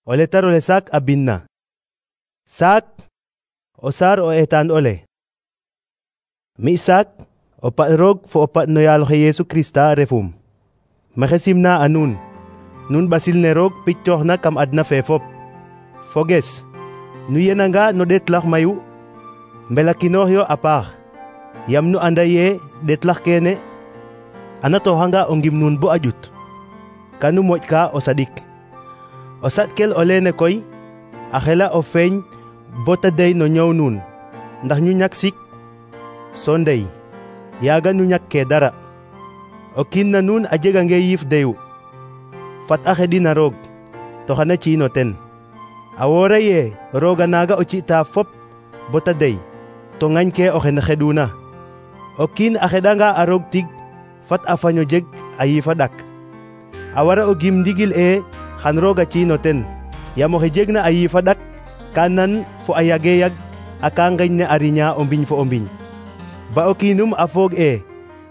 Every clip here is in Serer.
O letar ole Saak a binna. Saak, o saar o etaan ole. Mi Saak, o paɗ roog fo o paɗ no yaaloxe Yesu Krista refum. Maxey simna a nuun, nuun ɓasil ne roog pictooxna kam adna fe fop. Foges, nu yenanga no ɗeetlax mayu, mbelakinoox yo a paax, yam nu anda ye ɗeetlax keene a natooxanga o ngim nuun bo a ƴut, kanu moƴka o saɗik. O saɗkel o leene koy a xela o feeñ bo ta dey no ñoow nuun, ndax ñu ñak sik, so ndey, yaaga nu ñakkee dara. O kiin na nuun a jegange yiif deyu, fat a xeɗin a roog, to xana ci'in o ten. A woora ye rooga naaga o ci'ta fop bo ta dey, to ŋañkee oxe xeɗuna. O kiin a xeɗanga a roog tig, fat a faño jeg a yiif a ɗak. A wara o gim ndigil xan roog a ci'in o ten, yam oxe jegna a yiif a ɗak ka nan fo a yage yag a ka ngeñ ne a riña o mbiñ fo o mbiñ. Ba o kiinum a foog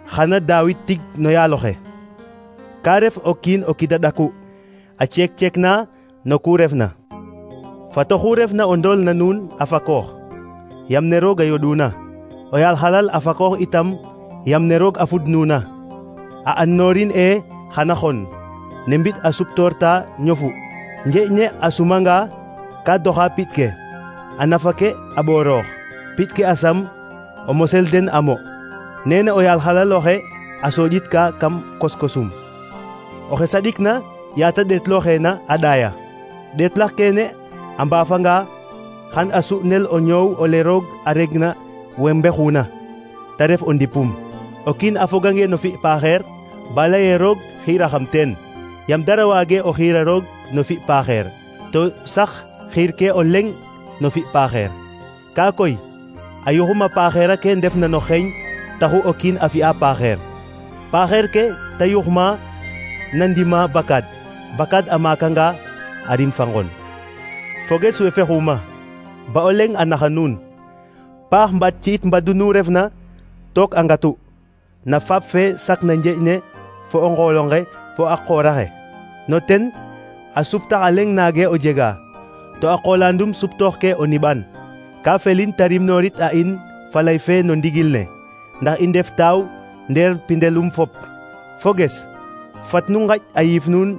xana daawit tig no yaaloxe. Ka ref o kiin o kida ɗaku, a ceek-ceekna no ku refna. Fat oxu refna o ndool na nuun a fakoox, yam ne roog a yoɗuna. O yaal xalal a fakoox itam, yam ne roog a fudnuna. A andnorin xana xon, ne mbiɗ a suptoorta ñofu. Njeeƴ ne a sumanga ka doxa piɗ ke, a nafa ke a ɓooroox, piɗ ke a sam, o mosel den a mo. Neene o yaal xalal oxe a sooƴitka kam koskosum. Oxe saɗikna yaata ɗeetlooxeena a ɗaaya. Ɗeetlax keene a mbaafanga, xan a su'nel o ñoow ole roog a regna we mbexuna, ta ref o ndipum. O kiin a fogange no fi' paaxeer, ba lay ee roog xiiraxam teen, yam dara waage o xiira roog no fi' paaxeer, to sax xiirkee o leŋ no fi' paaxeer. Kaa koy a yuxuma paaxeer ake ndefna no xeeñ taxu o kiin a fi'a paaxeer. Paaxeer ke ta yuxma na ndima bakaad, bakaad a maakanga a rim fa ngon. Foges we fexuma, ba o leŋ a naxa nuun. Paax mbaat ci'it mbadu nu refna, took a ngatu, na faap fe sakna njeeƴ ne fo o ngool onge fo a qoor axe. No ten a suptax a leŋ naage o jega, to a qoolandum suptooxkee o niɓan. Ka felin ta rimnoorit a in falay fe no ndigil ne, ndax i ndef taaw ndeer pindelum fop. Foges, fat nu ngaƴ a yiif nuun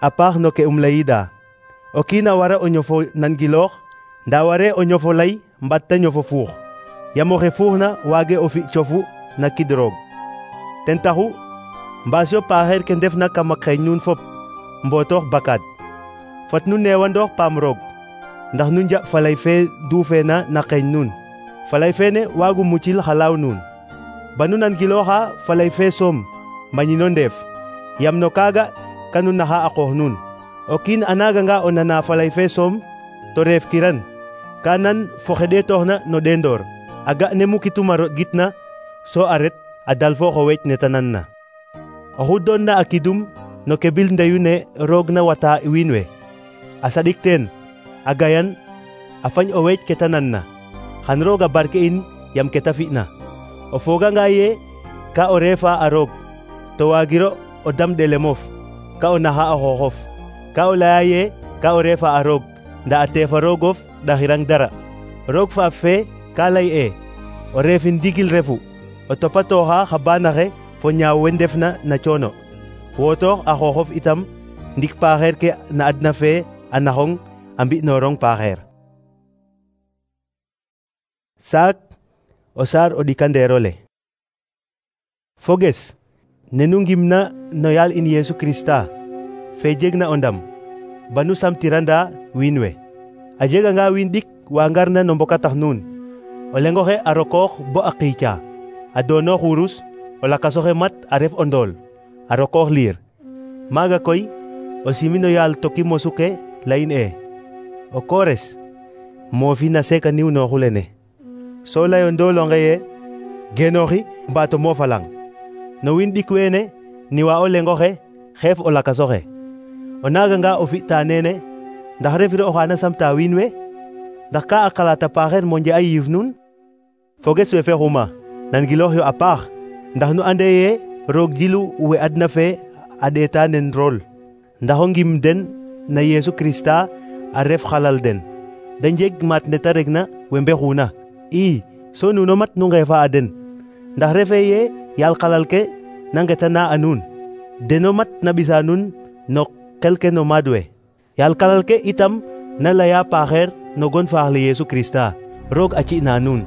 a paax no ke layiida. O kiin a wara o ñofo nangiloox, ndaa waree o ñofo lay mbat ta ñofo fuux, yam oxe fuuxna waage o fi' cofu na kid roog. Ten taxu mbaas yo paaxeer ke ndefna kam a xeeñ nuun fop mbootoox bakaad. Fat nu neewandoox paam roog, ndax nu njaɓ falay fe duufeena na xeeñ nuun. Falay feene waagu mucil xa laaw nuun. Ba nu nangilooxa falay fe soom, mbañino ndeef, yam no kaaga kanu naxa a qoox nuun. O kiin a naaganga o nana falay fe soom, to reef kiran, ka nan fo xe ɗeetooxna no ɗeendoor, a ga ne mukitum a roɗgitna, so a ret a dalfoox o weec ne ta nanna. Oxu doonna a kidum no ke bil ndeyu ne roog na wata wiin we, a saɗik teen, a gayan, a fañ o weec ke ta nanna, xan roog a barke in yam ke ta fi'na. O fooganga ye ka o reefa a roog, to waagiro o dam ɗelemof, ka o naxa a xooxof. Ka o laya ye ka o reefa a roog, ndaa a teefa roogof ɗaxirang dara. Roog faaf fe ka lay o reefin ndigil refu, o topatooxa xa baanaxe fo ñaaw we ndefna na coono. Wootoox a xooxof itam ndik paaxeer ke na adna fe a naxong a mbi'noorong paaxeer. Saak, o saar o ɗikandeer ole. Foges, ne nu ngimna no yaal in Yesu Krista, fe jegna o ndam, ba nu samtiranda wiin we. A jeganga wiin ɗik wa ngarna no mbokatax nuun, o leŋ oxe a rokoox bo a qiica, a doonoox wurus, o lakas oxe mat a ref o ndool, a rokoox liir. Maaga koy o simin o yaal toki mosu ke layin o koores moofi na seeka niwnooxu lene. So lay o ndoolonge ye genooxi mbaato moofalang. No wiin ɗik weene niwa o leŋ oxe xeef o lakas oxe. O naaganga o fi'ta neene, ndax refiro oxa na samta wiin we? Ndax ka a xalaata paaxeer monje a yiif nuun? Foges we fexuma, nangiloox yo a paax, ndax nu ande ye roog jilu we adna fe a ɗeeta nen rol, ndax o ngim den na Yesu Krista a ref xalal den, da njeg maat neta regna we mbexuna. So nuno mat nu ngefa a den, ndax refe ye yaal xalal ke na ngetana a nuun, deno mat na ɓisa nuun no xel ke no maad we. Yaal xalal ke itam na leya paaxeer no gon faax le Yesu Krista, roog a ci'na nuun.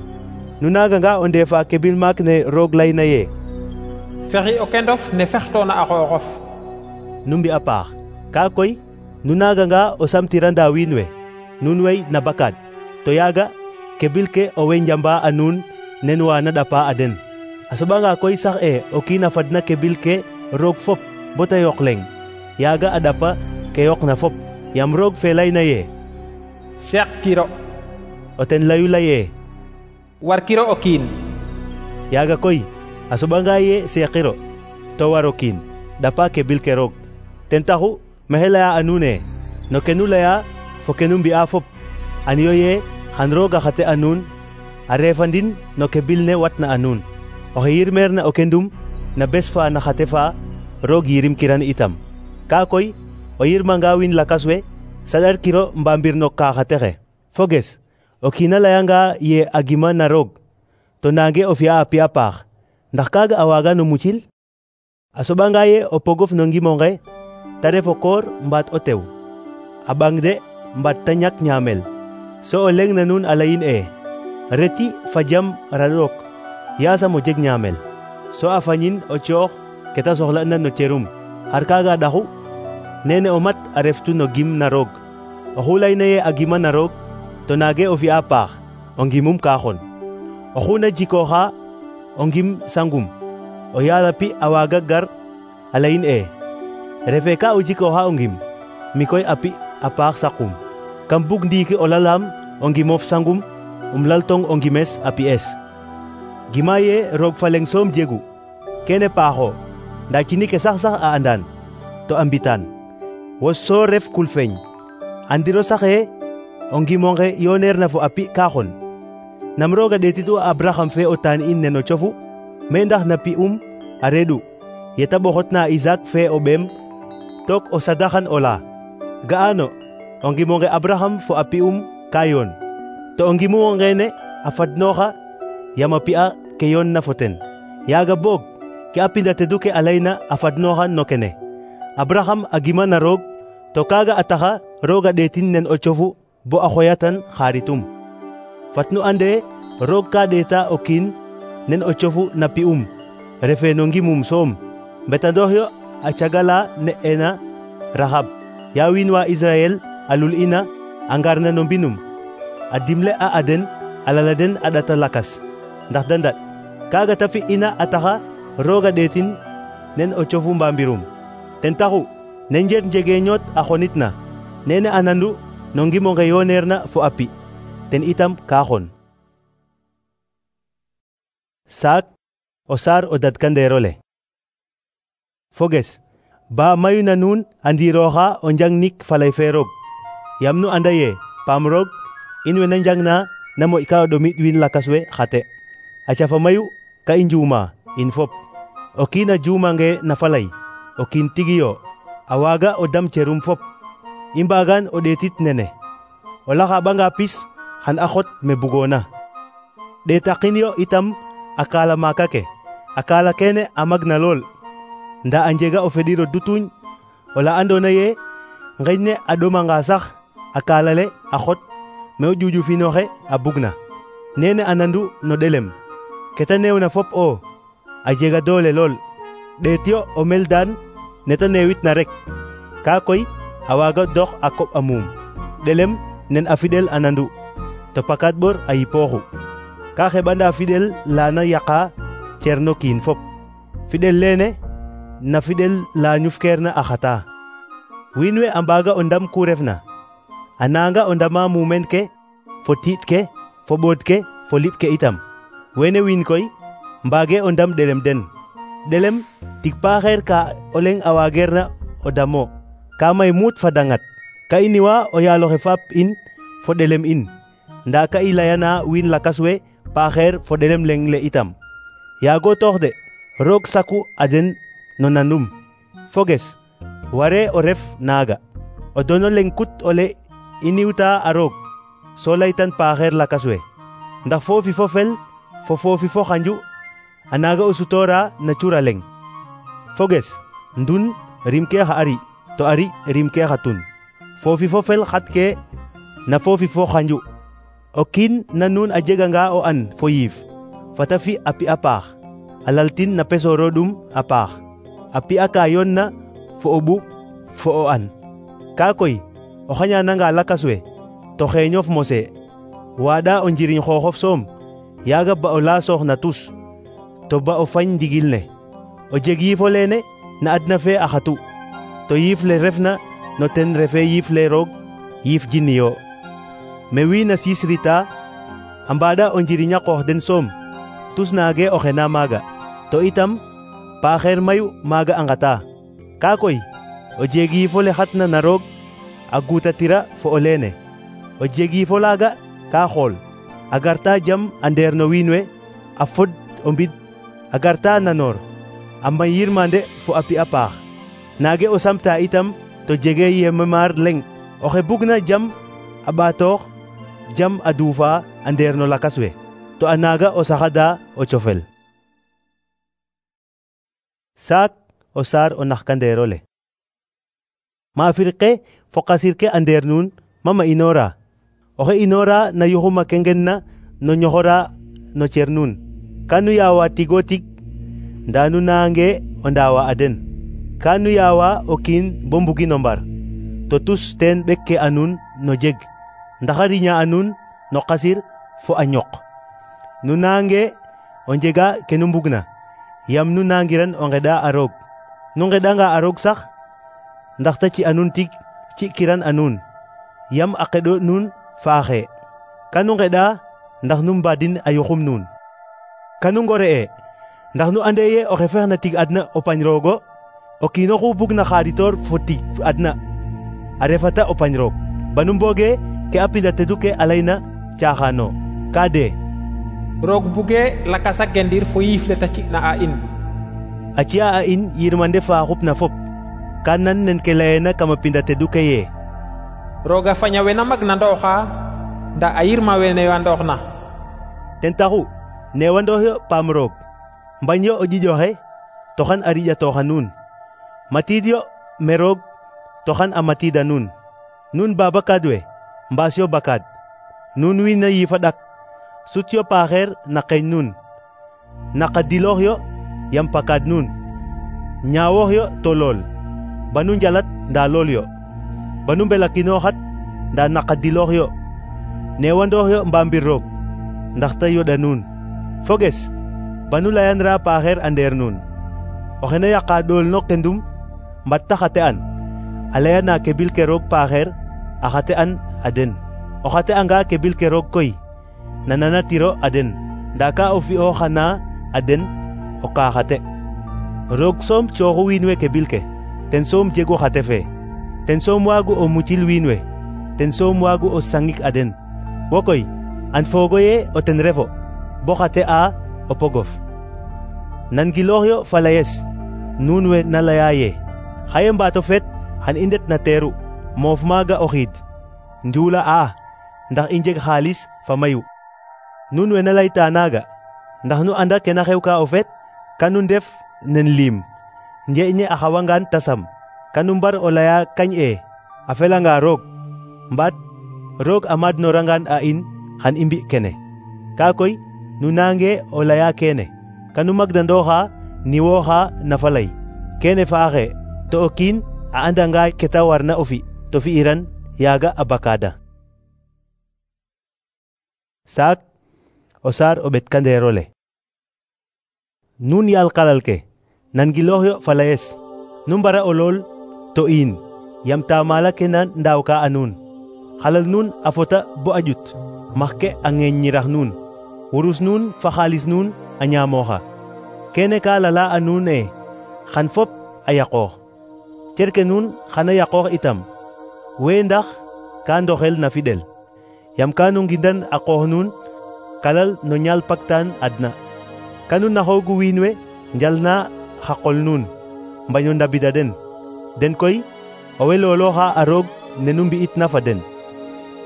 Nu naaganga o ndeefa ke bind maak ne roog layna ye fexi o kendof ne fextoona a xooxof. Nu mbi'a paax, kaa koy nu naaganga o samtiranda wiin we, nuun wey na bakaad, to yaaga kebil ke owey njamba a nuun nen wa na ɗapa a den. A soɓanga koy sax o kiin a fadna kebil ke roog fop bo ta yoq leŋ, yaaga a ɗapa ke yoqna fop, yam roog fe layna ye seeq kiro, o ten layu laye war kiro o kiin. Yaaga koy a soɓanga ye seeqiro to waro kiin, ɗapa kebil ke roog. Ten taxu maxey leya a nuun no ke nu leya fo ke nu mbi'a fop, anyo ye xan roog a xate a nuun a refandin no kebil ne watna a nuun. Oxe yirmeerna o kendum na bes fa na xate fa, roog yirim kiran itam. Kaa koy o yirmanga wiin lakas we, saɗarkiro mbambir no ka xate xe. Foges, o kiina layanga ye a gima na roog, to nange o fi'a a pi'a paax, ndax kaaga a waaga no mucil? A soɓanga ye o pogof no ngimo nge, ta ref o koor mbaat o tew, a ɓang de mbaat ta ñak ñaamel, so o leŋ na nuun a layin reti fa jam raɗook, yaasam o jeg ñaamel, so a fañin o coox ke ta soxla'na no cerum, xar kaaga ɗaxu? Nene o mat a reftu no gim na roog. Oxu layna ye a gima na roog, to naage o fi'a paax, o ngimum ka xon. Oxu na jikooxa o ngim sangum, o yaal a pi a waaga gar a layin refe ka o jikooxa o ngim, mi koy a pi a paax saqum. Kam bug ndiiki o lalaam o ngimof sangum, laltong o ngimes a pi'es. Gima ye roog fa leŋ soom jegu, kene paaxo, nda cini ke sax a andan, to a mbitaan. Wo so ref kulfeñ, andiro saxe o ngimonge yoneerna fo a pi ka xon. Nam roog a ɗeetitu a Abraham fe o taan in neno cofu, me ndax na pi'um a reɗu, yeta ɓoxotna a Isaac fe o ɓeem, took o sadaxan o la. Ga'ano, o ngimonge Abraham fo a pi'um ka yoon, to o ngimu ngene a fadnooxa yam a pi'a ke yoonna fo ten. Yaaga boog ke a pinda tedu ke a layna a fadnooxa no kene, Abraham a gima na roog, to kaaga a taxa roog a ɗeetin nen o cofu bo a xoyatan xaaritum. Fat nu ande roog ka ɗeeta o kiin nen o cofu na pi'um, refe no ngimum soom, mbetandoox yo a cagala ne'ena Rahab, ya wiin wa Israel a lul'ina a ngarna no mbinum, a dimle a den a lala den a ɗata lakas, ndax da ndaɗ. Kaaga ta fi'ina a taxa roog a ɗeetin nen o cofu mbambirum. Ten taxu ne njeet njege ñoot a xonitna, nene a nandu no ngimonge yoneerna fo a pi, ten itam ka xon. Saak o saar o dadkandeerole. Foges, ba mayu na nuun a ndiirooxa o njangnik falay fe roog, yam nu anda ye paam roog in we na njangna na moƴka o ɗomit wiin lakas we xate. A cafa mayu ka i njuuma in fop. O kiin a juumange na falay, o kiin tigi yo, a waaga o dam cerum fop. I mbaagan o ɗeetit nene, o laxaɓanga pis xan a xot me bugoona. Ɗeetaqin yo itam a kaala maaka ke, a kaala kene a magna lool, nda a njega o feɗir o dutuñ, ola andoona ye ngeñ ne a ɗomanga sax a kaala le a xot me o ƴuƴufinooxe a bugna. Nene a nandu no ɗelem, ke ta neewna fop a jega doole lool. Ɗeet yo o meldaan ne ta neewitna rek, kaa koy a waaga dox a koɓ a muum. Ɗelem nen a fiɗel a nandu, to pakaat ɓor a yipooxu. Ka xeɓanda fiɗel laana yaqa cer no kiin fop. Fiɗel leene na fiɗel la ñufkeerna a xata. Wiin we a mbaaga o ndam ku refna, a nanga o ndama muumeen ke fo tiiɗ ke fo ɓoot ke fo liɓ ke itam. Wene wiin koy mbaage o ndam ɗelem den. Ɗelem tig paaxeer ka o leŋ a waageerna o damo, ka may muut fa dangat. Ka i niwa o yaaloxe faap in fo ɗelem in, nda ka i layana wiin lakas we paaxeer fo ɗelem leŋ le itam. Yaago toox de, roog saku a den no nandum. Foges, ware o ref naaga. O dono leŋ kut ole i niwta a roog so laytan paaxeer lakas we ndax foofi fo fel fo foofi fo xanju a naaga o sutoora na cura leŋ. foges ndun rim ke xa ari to ari rim ke xa tun. foofi fo fel xat ke na foofi fo xanju. o kiin na nuun a jeganga o an fo yiif fata fi a pi'a paax a laltin na pesooro ɗum a paax a pi'a ka yoon na fo o ɓuuɓ fo o an. kaa koy o xañananga lakas we to xeeñof mose waaɗa o njiriñ xooxof soom yaaga ba o laasoox na tus to ba o fañ ndigil ne. o jeg yiifo leene na adna fe a xatu to yiif le refna no ten refe yiif le roog yiif jini yo. me wiin a siisrita a mbaaɗa o njiriñ a qoox den soom tus naage o xena maaga to itam paaxeer mayu maaga a ngata. kaa koy o jeg yiifo le xatna na roog a guutatira fo o leene. o jeg yiifo laaga kaa xool a garta jam a ndeer no wiin we a fod o mbid a garta nanoor a may yirmande fo a pi'a paax. naage o samta itam to jege yememaar leŋ oxe bugna jam a ɓaatoox jam a duufa a ndeer no lakas we to a naaga o saxada o cofel. saak o saar o naxkandeero le. maafir ke fo qasir ke a ndeer nuun mama inoora. oxe inoora na yuxuma ke ngen na no ñoxora no cer nuun ka nu yaawa tigo tig ndaa nu naange o ndaawa a den. ka nu yaawa o kiin bo mbugin o mbar to tus teen ɓek ke a nuun no jeg ndax a riña a nuun no qasir fo a ñoq. nu naange o njega ke nu mbugna yam nu naangiran o ngeɗa a roog. nu ngeɗanga a roog sax ndax ta ci a nuun tig ci'kiran a nuun yam a qeɗo nuun faaxe. kanu ngeɗa ndax nu mbaadin a yuxum nuun. kanu ngore'e ndax nu ande ye oxe fexna tig adna o pañ roogo o kiin oxu bugna xaaditoor fo tig adna a refata o pañ roog. banu mbooge ke a pinda tedu ke a layna caaxaano kaa de roog buge lakas a gendir fo yiif le ta ci'na a in. a ci'a a in yirmande fa xupna fop ka nan nen ke layeena kama pinda tedu ke ye rooga faña wena magna ndooxa nda a yirma wene wa ndooxna. ten taxu newandoox yo paam roog mbañ yo o ƴiƴoxe toxan a riƴatooxa nuun matiid yo me roog toxan a matiida nuun. nuun babakaad we mbaas yo bakaad. nuun wiin a yiifa ɗak sut yo paaxeer na qeeñ nuun. naqadiloox yo yam pakaad nuun. ñaawoox yo to lool banu njalat ndaa lool yo. banu mbelakinooxat ndaa naqadiloox yo. newandoox yo mbaambir roog ndax ta yoɗa nuun. foges banu layanra paaxeer a ndeer nuun. oxe na yaqa ɗool no kendum mbat ta xate an a layana ke bil ke roog paaxeer a xate an a den. o xate anga ke bil ke roog koy nananatiro a den ndaa ka o fi'o xana a den o ka xate. roog soom cooxu wiin we ke bil ke ten soom jegu xate fe. ten soom waagu o mucil wiin we. ten soom waagu o sangik a den. wo koy an foogo ye o ten refo bo xate a o pogof. nangiloox yo fa layes nuun we na laya ye xaye mbaato feet xan i ndet na teeru moof maaga o xiid njuula a ndax i njeg xaalis fa mayu. nuun we na layta naaga ndax nu anda ke na xew ka o feet kanu ndef nen liim njeeƴne a xawangaan tasam kanu mbar o laya kañ e a felanga roog mbaat roog a maadnorangaan a in xan i mbi' kene. kaa koy nu naange o laya keene kanu magdandooxa niwooxa na falay. keene faaxe to o kiin a andanga ke ta warna o fi' to fi'iran yaaga a bakaada. saak o saar o ɓetkandeero le. nuun yaal xalal ke nangiloox yo fa layes nu mbara o lool to iin yam taamala ke na ndaawka a nuun. xalal nuun a fota bo a ƴut max ke a ŋeeññirax nuun. wurus nuun fa xaalis nuun a ñaamooxa. keene ka lala a nuun e xan fop a yaqoox. cerke nuun xana yaqoox itam wee ndax ka ndoxel na fiɗel yam ka nu ngindan a qoox nuun kalal no ñaal paktaan adna. kanu naxoogu wiin we njalna xa qol nuun mbaño ndabida den. den koy owey loolooxa a roog ne nu mbi'itna fa den.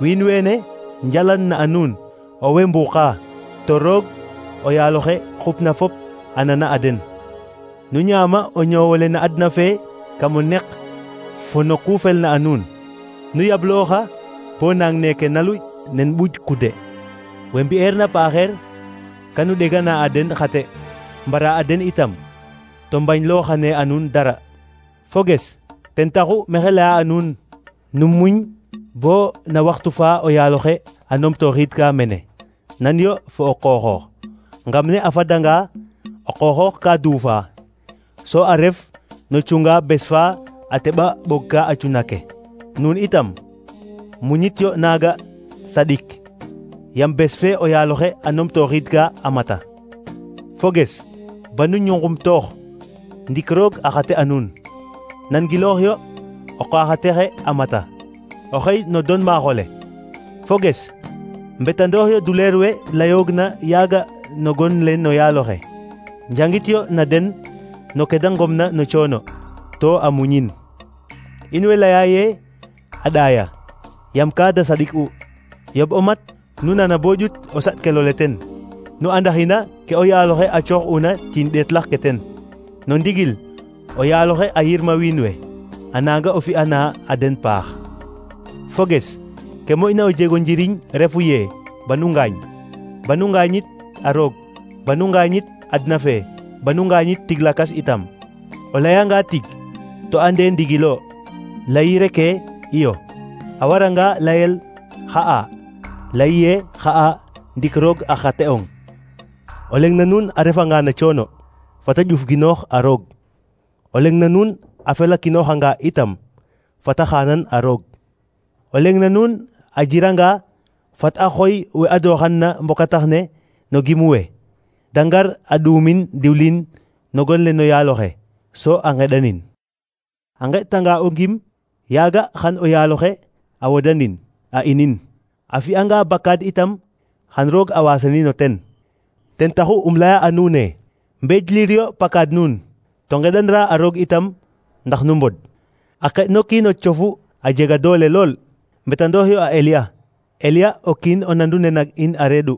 wiin wene njalan na a nuun owey mbuuqa to roog o yaal oxe xupna fop a nana a den. Nu ñaama o ñoowole na adna fe kam o neq fo no ku felna a nuun. Nu yablooxa bo nang neke naluƴ nen ɓuƴ kude. We mbi'eerna paaxeer kanu ɗegana a den xate mbara a den itam to mbañlooxane a nuun dara. Foges ten taxu maxey laya a nuun nu muñ bo na waxtu fa o yaal oxe a numtooxiidka mene. Nan yo fo o qooxoox. Ngam ne a fadanga o qooxoox ka duufa so a ref no cunga bes fa a teɓa ɓogka a cuna ke. Nuun itam muñit yo naaga saɗik yam bes fe o yaal oxe a numtooxiidka a mata. Foges banu ñungumtoox ndik roog a xate a nuun. Nangiloox yo o qaaxatexe a mata o xey no don maaxole. Foges mbetandoox yo duleer we layoogna yaaga no gon le no yaal oxe. Njangit yo na den no ke da ngomna no coono to a muñin. In way laya ye a ɗaaya yam ka da saɗik'u. Yoɓ o mat nu nana bo ƴut o saɗkelole ten. Nu andaxina ke o yaal oxe a coox'una ciin ɗeetlax ke ten. No ndigil o yaal oxe a yirma wiin we a nanga o fi'ana a den paax. Foges ke moƴna o jego njiriñ refu ye banu ngaañ. Banu ngaañit a roog. Banu ngaañit adna fe. Banu ngaañit tig lakas itam. O layanga tig to ande ndigilo layire ke iyo. A waranga layel xa'a layiye xa'a ndik roog a xate'ong. O leng na nuun a refanga na coono fata ƴufginoox a roog. O leng na nuun a felakinoxanga itam fata xaanan a roog. O leng na nuun a jiranga fat a xooy we adooxanna mbokatax ne no gimu we da ngar a ɗuumin diwlin no gon le no yaal oxe so a ngeɗanin. A ngeɗtanga o ngim yaaga xan o yaal oxe a wodanin a inin. A fi'anga bakaad itam xan roog a waasanin o ten. Ten taxu laya a nuun e mbeejlir yo pakaad nuun to ngeɗanra a roog itam ndax nu mbod. A qeɗ no kiin o cofu a jega doole lool. Mbetandoox yo a Eliya. Eliya o kiin o nandu ne nak in a reeɗu.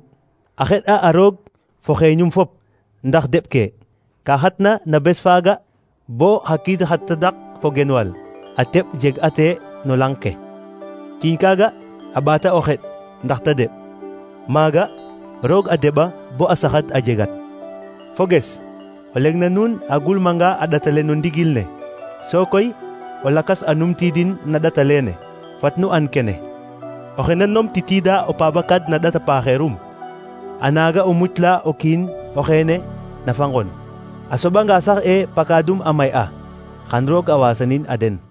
A xeɗ'a a roog fo xeeñum fop ndax deɓ ke. Ka xatna na bes faaga bo xa kiid xa tadak fo genwal a teɓ jeg ate no lang ke. Ciiñ kaaga a ɓaata o xeɗ ndax ta deɓ. Maaga roog a deɓa bo a saxad a jegat. Foges o leng na nuun a gulmanga a ɗatale no ndigil ne so koy o lakas a numtiidin na ɗata leene. Fat nu an kene oxe na numtitiida o paabakaad na ɗata paaxeerum a naaga o mucla o kiin o xeene na fangon. A soɓanga sax e pakaadum a may'a xan roog a waasanin a den.